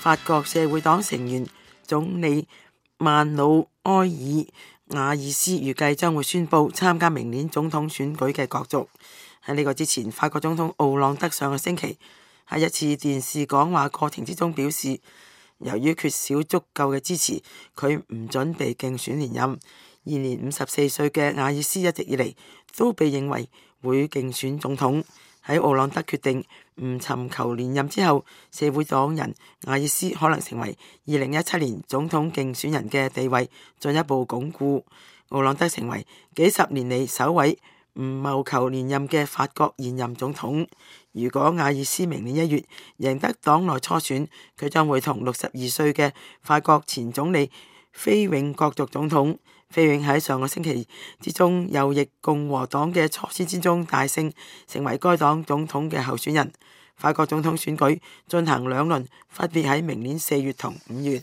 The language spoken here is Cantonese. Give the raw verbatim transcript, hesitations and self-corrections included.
法國社會黨成員總理曼努埃爾瓦爾斯預計將會宣布參加明年總統選舉嘅角逐。喺呢個之前，法國總統奧朗德上個星期喺一次電視講話過程之中表示，由於缺少足夠嘅支持，佢唔準備競選連任。現年五十四歲嘅瓦爾斯一直以嚟都被認為會競選總統。喺奧朗德決定唔尋求連任之後，社會黨人瓦爾斯可能成為二零一七年總統競選人嘅地位進一步鞏固。奧朗德成為幾十年嚟首位唔謀求連任嘅法國現任總統。如果瓦爾斯明年一月贏得黨內初選，佢將會同六十二歲嘅法國前總理菲永角逐總統。菲永喺上個星期之中右翼共和黨嘅初選之中大勝，成為該黨總統嘅候選人。法國總統選舉進行兩輪，分別喺明年四月同五月。